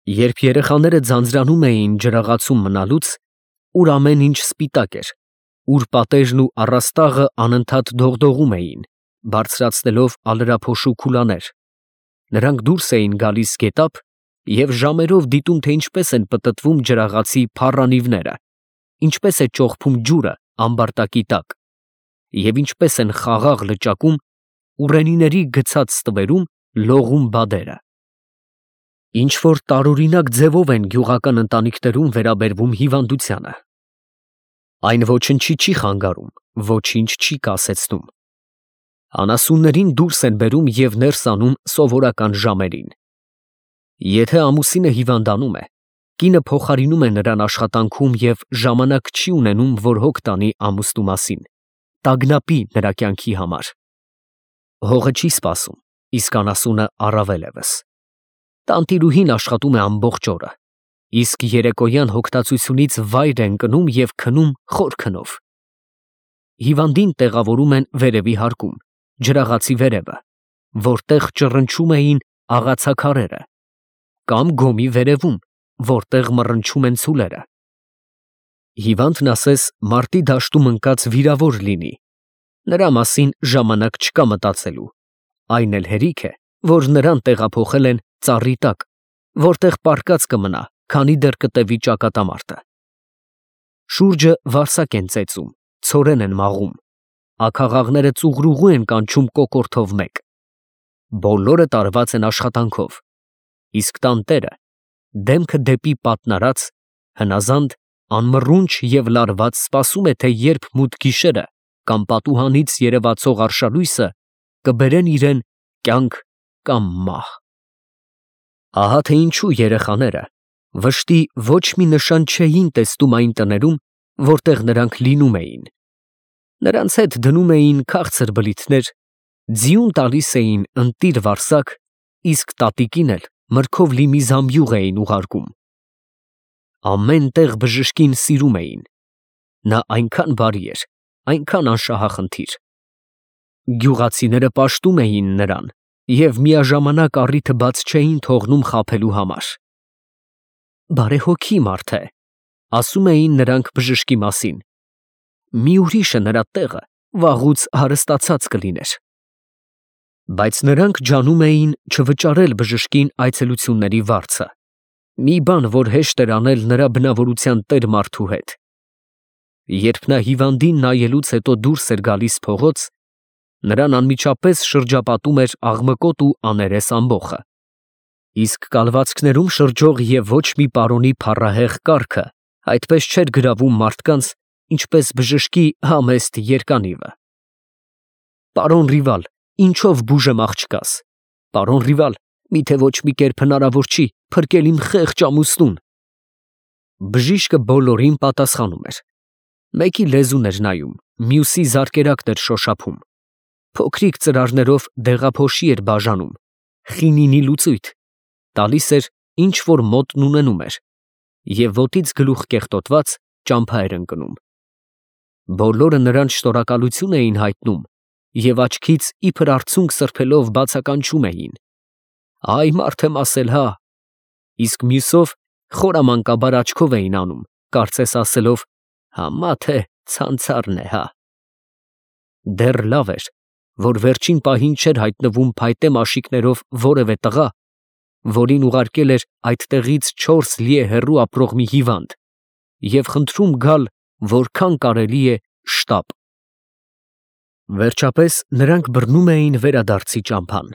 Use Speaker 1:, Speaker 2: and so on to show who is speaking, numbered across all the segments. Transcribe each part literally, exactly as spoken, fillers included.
Speaker 1: Երբ երեխաները ձանձրանում էին ջրաղացում մնալուց, ուր ամեն ինչ սպիտակ էր, ուր պատերն ու առաստաղը անընդհատ դողդողում էին, բարձրացնելով ալրափոշու քուլաներ, նրանք դուրս էին գալիս գետափ և ժամերով դիտում, թե ինչպես են պտտվում ջրաղացի փառանիվները, ինչպես է ճոխփում ջուրը ամբարտակի տակ, և ինչպես են խաղաղ լճակում ուռենիների գցած ստվերում լողում բադերը։ Ինչ-որ տարօրինակ ձևով են գյուղական ընտանիքներում վերաբերվում հիվանդությանը. այն ոչնչի չի խանգարում, ոչինչ չի կասեցնում, անասուններին դուրս են բերում և ներս անում սովորական ժամերին։ Եթե ամուսինը հիվանդանում է, կինը փոխարինում է նրան աշխատանքում և ժամանակ չի ունենում, որ հոգ տանի ամուսնու մասին, տագնապի նրա կյանքի համար։ Հողը չի սպասում, իսկ անասունը առավել ևս։ Տանտիրուհին աշխատում է ամբողջ օրը, իսկ երեկոյան հոգտացությունից վայր է ընկնում և քնում խոր քնով։ Հիվանդին տեղավորում են վերևի հարկում, ջրաղացի վերևը, որտեղ ճռնչում էին աղացաքարերը, կամ գոմի վերևում, որտեղ մռնչում են ցուլերը։ Հիվանդն ասես մարտի դաշտում ընկած վիրավոր լինի, նրա մասին ժամանակ չկա մտածելու, այն էլ հերիք է, որ նրան տեղափոխել են ծառի տակ, որտեղ պառկած կմնա, քանի դեռ կտևի ճակատամարտը։ Շուրջը վարսակ են ծեծում, ցորեն են մաղում, աքաղաղները ծուղրուղու են կանչում կոկորդով մեկ։ Բոլորը տարված են աշխատանքով, իսկ տանտերը, դեմքը դեպի պատնարած, հնազանդ, անմռունչ և լարված սպասում է, թե երբ մութ գիշերը կամ պատուհանից երևացող արշալույսը կբերեն իրեն կյանք կամ մահ։ Ահա թե ինչու երեխաները վշտի ոչ մի նշան չէին տեսնում այն տներում, որտեղ նրանք լինում էին։ Նրանց հետ դնում էին քաղցր բլիթներ, ձիուն տալիս էին ընտիր վարսակ, իսկ տատիկին էլ մրգով լի մի զամբյուղ էին ուղարկում։ Ամեն տեղ բժշկին սիրում էին, նա այնքան բարի էր, այնքան անշահախնդիր։ Գյուղացիները պաշտում էին նրան և միաժամանակ առիթը բաց չէին թողնում խաբելու համար։ Բարեհոգի մարդ է, ասում էին նրանք բժշկի մասին, մի ուրիշը նրա տեղը վաղուց հարստացած կլիներ։ Բայց նրանք ջանում էին չվճարել բժշկին այցելությունների վարձը, մի բան, որ հեշտ էր անել նրա բնավորության տեր մարդու հետ։ Երբ նա հիվանդին նայելուց հետո դուրս էր գալիս փողոց, նրան անմիջապես շրջապատում էր աղմկոտ ու աներես ամբոխը, իսկ կալվածքներում շրջող և ոչ մի պարոնի փառահեղ կառքը այդպես չէր գրավում մարդկանց, ինչպես բժշկի համեստ երկանիվը։ Պարոն Ռիվալ, ինչով բուժեմ աղջկաս, պարոն Ռիվալ, միթե ոչ մի կերպ հնարավոր չի փրկել իմ խեղճ ամուսնուն։ Բժիշկը բոլորին պատասխանում էր, մեկի լեզուն էր նայում, մյուսի զարկերակն էր շոշափում, փոքրիկ ծրարներով դեղափոշի էր բաժանում, խինինի լուծույթ, տալիս էր, ինչ որ մոտն ունենում էր, և ոտից գլուխ կեղտոտված ճամփա էր ընկնում։ Բոլորը նրան շնորհակալություն էին հայտնում և աչքից իբր արցունք սրբելով բացականչում էին. «Այ մարդ եմ ասել, հա», իսկ մյուսով խորամանկաբար աչքով էին անում, կարծես ասելով. «Համա թե ցանցառն է, հա»։ Դեռ լավ էր, որ վերջին պահին չէր հայտնվում փայտե մաշիկներով որևէ տղա, որին ուղարկել էր այդտեղից չորս լիե հեռու ապրող մի հիվանդ, և խնդրում գալ որքան կարելի է շտապ։ Վերջապես նրանք բռնում էին վերադարձի ճամփան։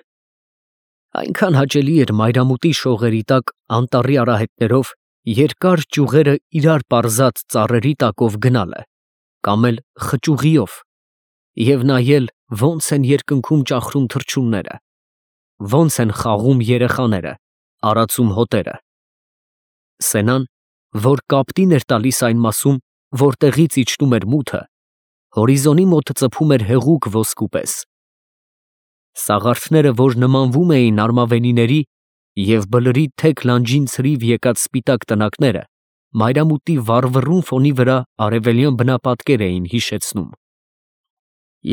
Speaker 1: Այնքան հաճելի էր մայրամուտի շողերի տակ անտառի արահետներով երկար ճյուղերը իրար պարզած ծառերի տակով գնալը, կամ էլ խճուղիով, և նայել, ոնց են երկնքում ճախրում թռչունները, ոնց են խաղում երեխաները, արածում հոտերը։ Սենան, որ կապտին էր տալիս այն մասում, որտեղից իջնում էր մութը, հորիզոնի մոտ ծփում էր հեղուկ ոսկու պես։ Սաղարթները, որ նմանվում էին արմավենիների, և բլրի թեք լանջին ցրիվ եկած սպիտակ տնակները, մայրամուտի վառվռուն ֆոնի վրա արևելյան բնապատկեր էին հիշեցնում։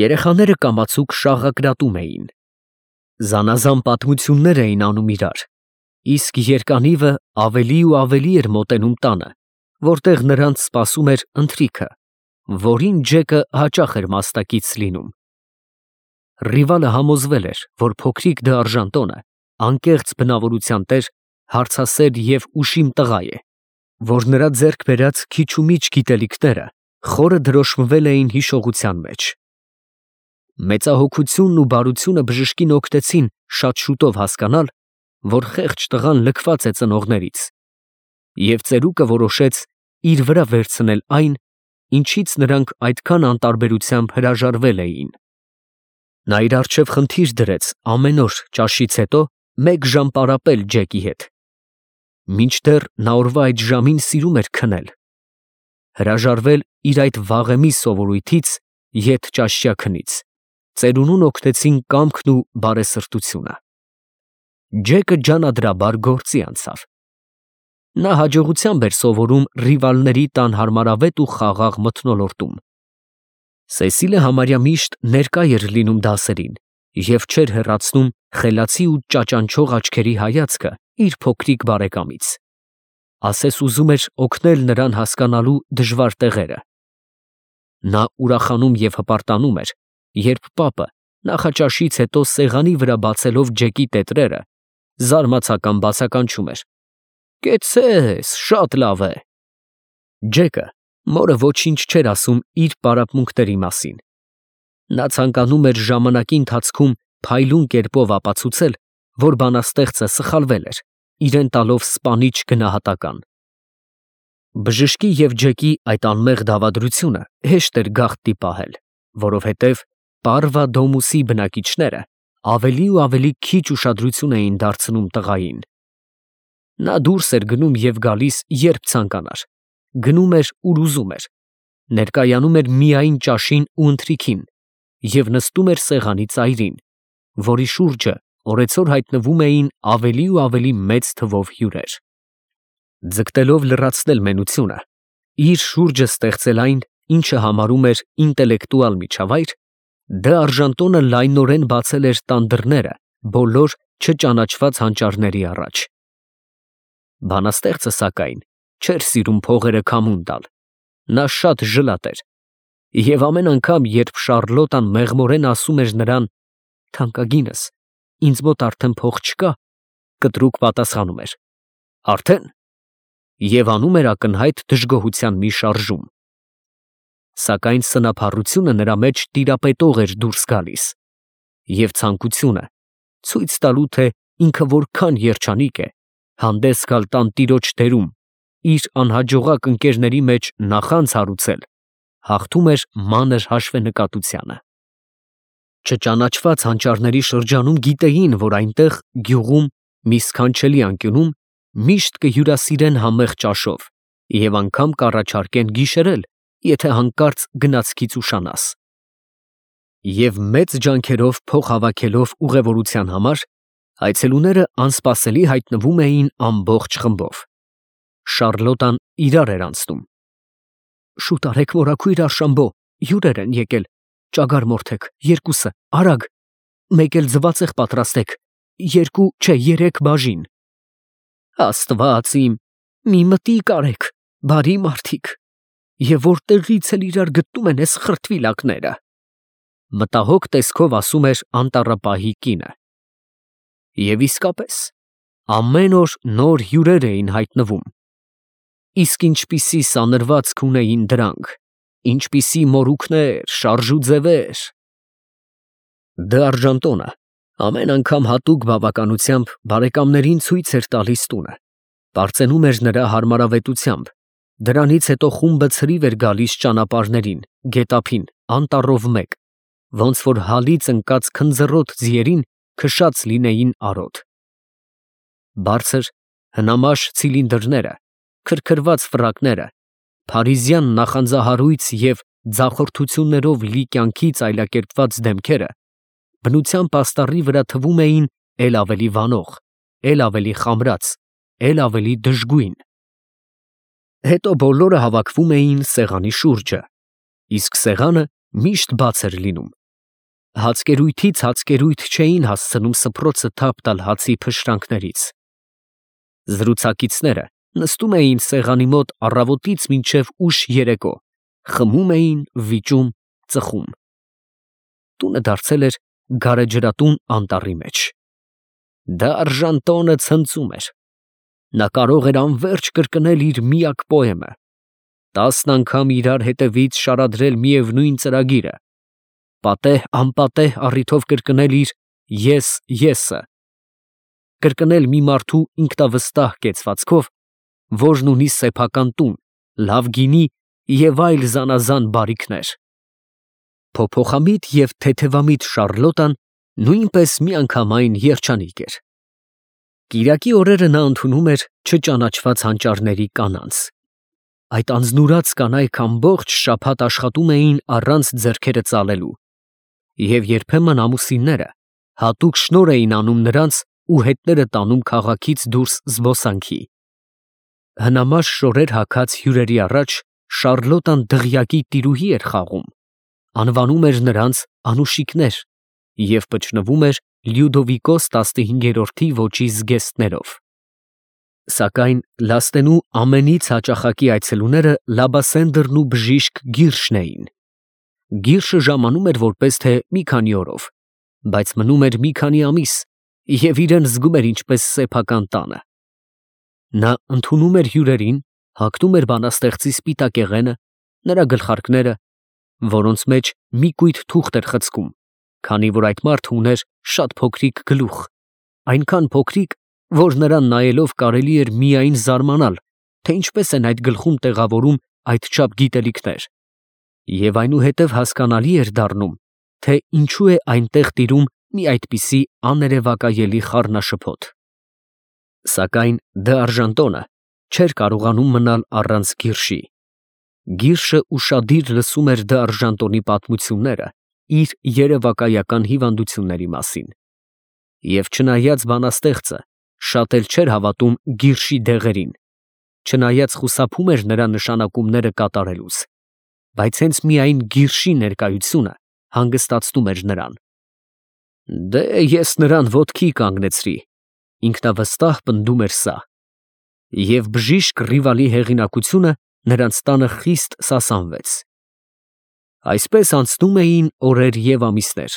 Speaker 1: Երեխաները կամացուկ շաղակրատում էին, զանազան պատմություններ էին անում իրար, իսկ երկանիվը ավելի ու ավելի էր մոտենում տանը, որտեղ նրանց սպասում էր ընթրիքը, որին Ջեկը հաճախ էր մասնակից լինում։ Ռիվալը համոզվել էր, որ փոքրիկ դարժան տոնը անկեղծ բնավորության տեր, հարցասեր և ուշիմ տղա է, որ նրա ձեռք բերած քիչ ու միջ գիտելիքները խորը դրոշմվել էին հիշողության մեջ։ Մեծահոգությունն ու բարությունը բժշկին օգնեցին շատ շուտով հասկանալ, որ խեղճ տղան լքված է ծնողներից, և ծերուկը որոշեց իր վրա վերցնել այն, ինչից նրանք այդքան անտարբերությամբ հրաժարվել էին։ Նա իր առջև խնդիր դրեց ամեն օր ճաշից հետո մեկ ժամ պարապել Ջեկի հետ, մինչդեռ նա օրվա այդ ժամին սիրում էր քնել, հրաժարվել իր այդ վաղեմի սովորույթից ետճաշյա քնից, ծերունուն օգնեցին կամքն ու բարեսրտությունը։ Ջեկը ջանադրաբար գործի անցավ։ Նա հաջողությամբ էր սովորում ռիվալների տան հարմարավետ ու խաղաղ մթնոլորտում։ Սեսիլը համարյա միշտ ներկա էր լինում դասերին և չէր հեռացնում խելացի ու ճաճանչող աչքերի հայացքը իր փոքրիկ բարեկամից։ Ասես ուզում էր օգնել նրան հասկանալու դժվար տեղերը։ Նա ուրախանում և հպարտանում էր, երբ պապը նախաճաշից հետո սեղանի վրա բացելով Ջեկի տետրերը, զարմացական բացականչում էր. «Կեցցե՛ս, շատ լավ է»։ Ջեկը մորը ոչինչ չէր ասում իր պարապմունքների մասին։ Նա ցանկանում էր ժամանակի ընթացքում փայլուն կերպով ապացուցել, որ բանաստեղծը սխալվել էր, իրեն տալով սպանիչ գնահատական։ Բժշկի և Ջեկի այդ անմեղ դավադրությունը հեշտ էր գաղտնի պահել, որովհետև Պարվա Դոմուսի բնակիչները ավելի ու ավելի քիչ ուշադրություն էին դարձնում տղային։ Նա դուրս էր գնում և գալիս, երբ ցանկանար, գնում էր, ուր ուզում էր, ներկայանում էր միայն ճաշին ու ընթրիքին և նստում էր սեղանի ծայրին, որի շուրջը օրեցօր հայտնվում էին ավելի ու ավելի մեծ թվով հյուրեր։ Ձգտելով լրացնել մենությունը, իր շուրջը ստեղծել այն, ինչը համարում էր ինտելեկտուալ միջավայր, Դը Արժանտոնը լայնորեն բացել էր տան դռները բոլոր չճանաչված հանճարների առաջ։ Բանաստեղծը, սակայն, չէր սիրում փողերը քամուն տալ։ Նա շատ ժլատ էր, և ամեն անգամ, երբ Շառլոտան մեղմորեն ասում էր նրան. «Թանկագինս, ինձ մոտ արդեն փող չկա», կտրուկ պատասխանում էր. «Արդեն» և անում էր ակնհայտ դժգոհության մի շարժում։ Սակայն սնափառությունը նրա մեջ տիրապետող էր դուրս գալիս, և ցանկությունը ցույց տալու, թե ինքը որքան երջանիկ է, հանդես գալ տանտիրոջ դերում, իր անհաջողակ ընկերների մեջ նախանձ հարուցել, հաղթում էր մանր հաշվենկատությանը։ Չճանաչված հանճարների շրջանում գիտեին, որ այնտեղ գյուղում մի սքանչելի անկյունում միշտ կհյուրասիրեն համեղ ճաշով և անգամ կառաջարկեն գիշերել, եթե հանկարծ գնացքից ուշանաս։ Եվ մեծ ջանքերով փող հավաքելով ուղևորության համար, այցելուները անսպասելի հայտնվում էին ամբողջ խմբով։ Շառլոտան իրար էր անցնում. «Շուտ արեք, մորաքույր Արշամբո, հյուրեր են եկել, ճագար մորթեք, երկուսը, արագ, մեկ էլ ձվածեղ պատրաստեք, երկու, չէ, երեք բաժին»։ Աստված իմ, մի մտիկ արեք, բարի մարդիկ, և որտեղի՞ց էլ իրար գտնում են էս խրտվիլակները, մտահոգ տեսքով ասում էր անտառապահի կինը։ Եվ իսկապես, ամեն օր նոր հյուրեր էին հայտնվում։ Իսկ ինչպիսի սանրվածք ունեին դրանք, ինչպիսի մորուքներ, շարժ ու ձևեր… Դը Արժանտոնը ամեն անգամ հատուկ բավականությամբ բարեկամներին ցույց էր տալիս տունը, պարծենում էր նրա հարմարավետությամբ, դրանից հետո խումբը ցրիվ էր գալիս ճանապարհներին, գետափին, անտառով մեկ, ոնց որ հալից ընկած քնձռոտ ձիերին քշած լինեին արոտ։ Բարձր, հնամաշ ցիլինդրները, քրքրված ֆրակները, փարիզյան նախանձահարույց և ձախորդություններով լի կյանքից այլակերպված դեմքերը բնության պաստառի վրա թվում էին էլ ավելի վանող, էլ ավելի խամրած, էլ ավելի դժգույն։ Հետո բոլորը հավաքվում էին սեղանի շուրջը, իսկ սեղանը միշտ բաց էր լինում։ Հացկերույթից հացկերույթ չէին հասցնում սփռոցը թափ տալ հացի փշրանքներից։ Զրուցակիցները նստում էին սեղանի մոտ առավոտից մինչև ուշ երեկո, խմում էին, վիճում, ծխում։ Տունը դարձել էր գարեջրատուն անտառի մեջ։ Դարժան տոնը ցնծում էր։ Նա կարող էր անվերջ կրկնել իր միակ պոեմը, տասն անգամ իրար հետևից շարադրել միևնույն ծրագիրը, պատեհ-անպատեհ առիթով կրկնել իր «ես, եսը», կրկնել մի մարդու ինքնավստահ կեցվածքով, որն ունի սեփական տուն, լավ գինի և այլ զանազան բարիքներ։ Փոփոխամիտ և թեթևամիտ Շառլոտան նույնպես միանգամայն երջանիկ էր։ Կիրակի օրերը նա ընդունում էր չճանաչված հանճարների կանանց։ Այդ անձնուրաց կանայք ամբողջ շաբաթ աշխատում էին առանց ձեռքերը ծալելու, և երբեմն ամուսինները հատուկ շնորհ էին անում նրանց ու հետները տանում քաղաքից դուրս զբոսանքի։ Հնամաշ շորեր հագած հյուրերի առաջ Շառլոտան դղյակի տիրուհի էր խաղում, անվանում էր նրանց անուշիկներ և պճնվում էր Լյուդովիկոս տասնհինգերորդի ոճի զգեստներով։ Սակայն լաստենու ամենից հաճախակի այցելուները Լաբասենդրն ու բժիշկ Գիրշն էին։ Գիրշը ժամանում էր որպես թե մի քանի օրով, բայց մնում էր մի քանի ամիս և իրան զգում էր ինչպես սեփական տանը։ Նա ընդունում էր հյուրերին, հագնում էր բանաստեղծի սպիտակեղենը, նրա գլխարկները, որոնց մեջ մի կույտ թուղթ էր խցկում, քանի որ այդ մարդը ուներ շատ փոքրիկ գլուխ, այնքան փոքրիկ, որ նրան նայելով կարելի էր միայն զարմանալ, թե ինչպես են այդ գլխում տեղավորում այդչափ գիտելիքներ, և այնուհետև հասկանալի էր դառնում, թե ինչու է այնտեղ տիրում մի այդպիսի աներևակայելի խառնաշփոթ։ Սակայն Դ'Արժանտոնը չէր կարողանում մնալ առանց Գիրշի։ Գիրշը ուշադիր լսում էր Դ'Արժանտոնի պատմությունները իր երևակայական հիվանդությունների մասին, և չնայած բանաստեղծը շատ էլ չէր հավատում Գիրշի դեղերին, չնայած խուսափում էր նրա նշանակումները կատարելուց, բայց հենց միայն Գիրշի ներկայությունը հանգստացնում էր նրան։ «Դե ես նրան ոտքի կանգնեցրի», ինքնավստահ պնդում էր սա, և բժիշկ Ռիվալի հեղինակությունը նրանց տանը խիստ սասանվեց։ Այսպես անցնում էին օրեր և ամիսներ։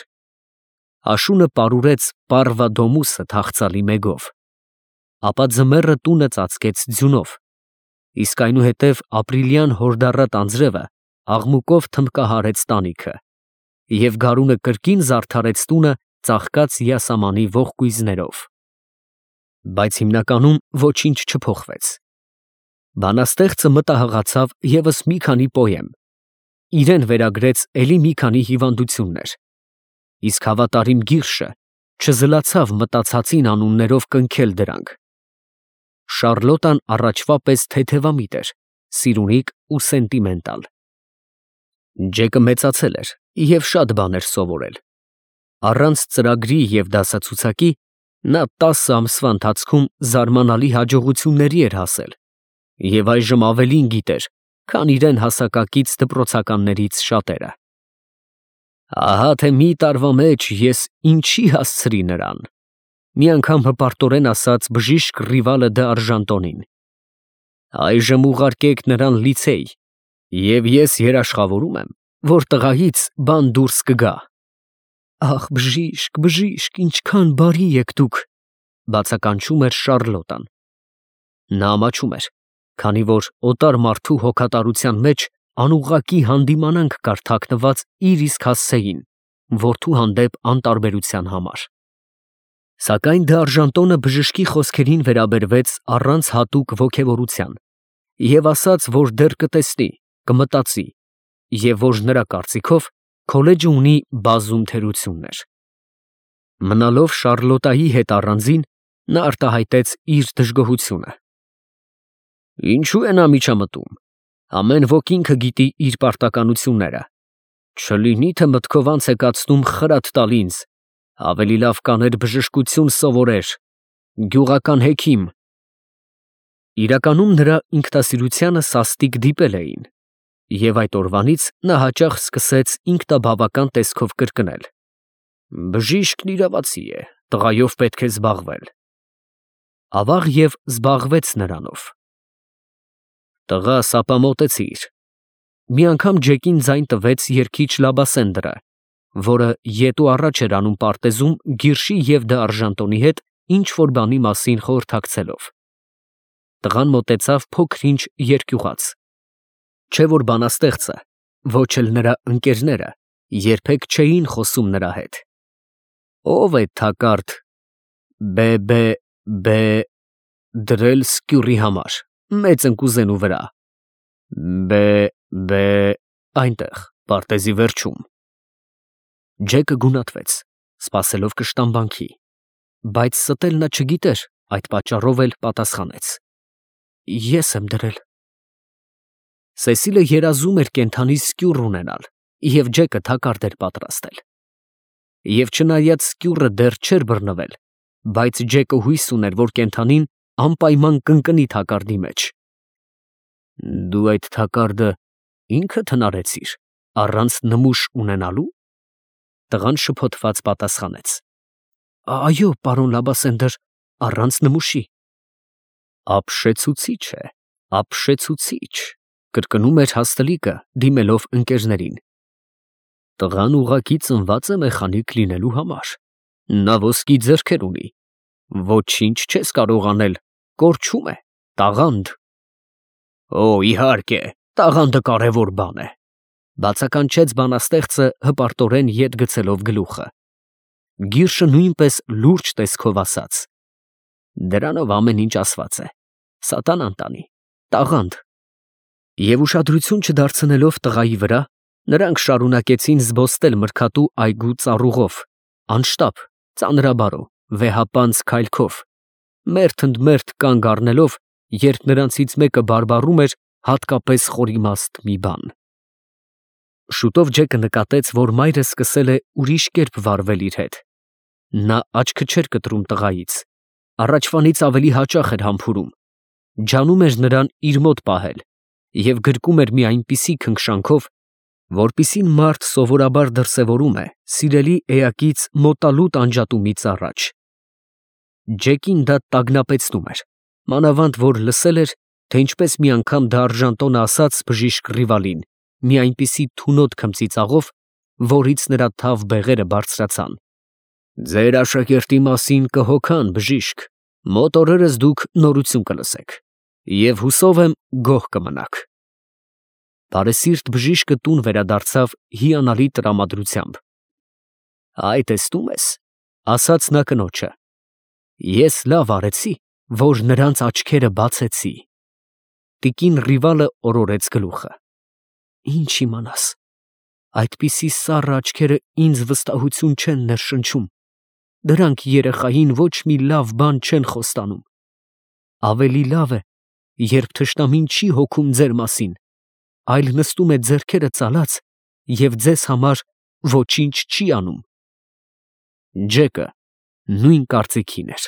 Speaker 1: Աշունը պարուրեց Պառվադոմուսը թախծալի մեգով, ապա ձմեռը տունը ծածկեց ձյունով, իսկ այնուհետև ապրիլյան հորդառատ անձրևը աղմուկով թմբկահարեց տանիքը, և գարունը կրկին զարդարեց տունը ծաղկած յասամանի ողկույզներով։ Բայց հիմնականում ոչինչ չփոխվեց։ Բանաստեղծը մտահղացավ ևս մի քանի պոեմ, իրեն վերագրեց էլի մի քանի հիվանդություններ, իսկ հավատարիմ Գիրշը չզլացավ մտածածին անուններով կնքել դրանք։ Շառլոտան առաջվա պես թեթևամիտ էր, սիրունիկ ու սենտիմենտալ։ Ջեկը մեծացել էր և շատ բան էր սովորել։ Առանց ծրագրի և դասացուցակի նա տասը ամսվա ընթացքում զարմանալի հաջողությունների էր հասել և այժմ ավելին գիտեր, քան իրեն հասակակից դպրոցականներից շատերը։ «Ահա թե մի տարվա մեջ ես ինչի հասցրի նրան», մի անգամ հպարտորեն ասաց բժիշկ Ռիվալը Դ'Արժանտոնին։ «Այժմ ուղարկեք նրան լիցեյ, և ես երաշխավորում եմ, որ տղայից բան դուրս կգա»։ «Ախ, բժիշկ, բժիշկ, ինչքան բարի եք դուք», բացականչում էր Շառլոտան։ Նա ամաչում էր, քանի որ օտար մարդու հոգատարության մեջ անուղղակի հանդիմանանք կար թաքնված իր իսկ հասցեին, որդու հանդեպ անտարբերության համար։ Սակայն Դ'Արժանտոնը բժշկի խոսքերին վերաբերվեց առանց հատուկ ոգևորության և ասաց, որ դեռ կտեսնի, կմտածի, և որ նրա կարծիքով քոլեջը ունի բազում թերություններ։ Մնալով Շառլոտայի հետ առանձին, նա արտահայտեց իր դժգոհությունը։ «Ինչո՞ւ է նա միջամտում, ամեն ոք ինքը գիտի իր պարտականությունները, չլինի թե մտքով անց է կացնում խրատ տալ ինձ, ավելի լավ կաներ բժշկություն սովորեր, գյուղական հեքիմ»։ Իրականում նրա ինքնասիրությանը սաստիկ դիպել էին, և այդ օրվանից նա հաճախ սկսեց ինքնաբավական տեսքով կրկնել. «Բժիշկն իրավացի է, տղայով պետք է զբաղվել»։ Ավաղ և զբաղվեց նրանով։ Տղա, սապամոտեցիր։ Մի անգամ Ջեկին ձայն տվեց երգիչ Լաբասենդրը, որը ետ ու առաջ էր անում պարտեզում Գիրշի և Դը Արժանտոնի հետ ինչ-որ բանի մասին խորհրդակցելով։ Տղան մոտեցավ փոքր-ինչ երկյուղած, չէ՞ որ բանաստեղծը, ոչ էլ նրա ընկերները երբեք չէին խոսում նրա հետ։ Ո՞վ է Թակարդ բե, բե, դրել սկյուռի համար, մեծ ընկուզենու վրա։ Բե, բե, այնտեղ, պարտեզի վերջում։ Ջեկը գունատվեց, սպասելով կշտամբանքի, բայց ստել նա չգիտեր, այդ պատճառով էլ պատասխանեց. Ես եմ դրել։ Սեսիլը երազում էր կենդանի սկյուռ ունենալ, և Ջեկը թակարդ էր պատրաստել։ Եվ չնայած սկյուռը դեռ չէր բռնվել, բայց Ջեկը հույս ուներ, որ կենդանին անպայման կընկնի թակարդի մեջ։ Դու այդ թակարդը ինքդ հնարեցիր, առանց նմուշ ունենալու։ Տղան շփոթված պատասխանեց. Այո, պարոն Լաբասենդր, առանց նմուշի։ Ապշեցուցիչ է, ապշեցուցիչ, կրկնում էր հաստլիկը, դիմելով ընկերներին։ Տղան ուղղակի ծնված է մեխանիկ լինելու համար։ Նա ոսկի ձեռքեր ունի, ոչինչ չես կարող անել, կորչում է, տաղանդ։ Օ, իհարկե, տաղանդը կարևոր բան է, բացականչեց բանաստեղծը հպարտորեն ետ գցելով գլուխը։ Գիրշը նույնպես լուրջ տեսքով ասաց. Դրանով ամեն ինչ ասված է, սատանան տանի, տաղանդ։ Եվ ուշադրություն չդարձնելով տղայի վրա, նրանք շարունակեցին զբոսնել մրգատու այգու ծառուղով, անշտապ, ծանրաբարո, վեհապանծ քայլքով, մերթ ընդ մերթ կանգ առնելով, երբ նրանցից մեկը բարբառում էր հատկապես խորիմաստ մի բան։ Շուտով Ջեկը նկատեց, որ մայրը սկսել է ուրիշ կերպ վարվել իր հետ։ Նա աչքը չէր կտրում տղայից, առաջվանից ավելի հաճախ էր համբուրում, ջանում էր նրան իր մոտ պահել և գրկում էր մի այնպիսի քնքշանքով, որպիսին մարդ սովորաբար դրսևորում է սիրելի էակից մոտալուտ անջատումից առաջ։ Ջեկին դա տագնապեցնում էր, մանավանդ որ լսել էր, թե ինչպես մի անգամ Դը Արժանտոնը ասաց բժիշկ Ռիվալին մի այնպիսի թունոտ քմծիծաղով, որից նրա թավ բեղերը բարձրացան. Ձեր աշակերտի մասին կհոգան, բժիշկ, մոտ օրերս դուք նորություն կլսեք, և հուսով եմ գոհ կմնաք։ Բարեսիրտ բժիշկը տուն վերադարձավ հիանալի տրամադրությամբ։ Այ տեսնում ես, ասաց նա կնոջը, ես լավ արեցի, որ նրանց աչքերը բացեցի։ Տիկին Ռիվալը օրորեց գլուխը։ Ինչ իմանաս, այդպիսի սառը աչքերը ինձ վստահություն չեն ներշնչում, դրանք երեխային ոչ մի լավ բան չեն խոստանում։ Ավելի լավ է, երբ թշնամին չի հոգում ձեր մասին, այլ նստում է ձեռքերը ծալած և ձեզ համար ոչինչ չի անում։ Ջեկը նույն կարծիքին էր։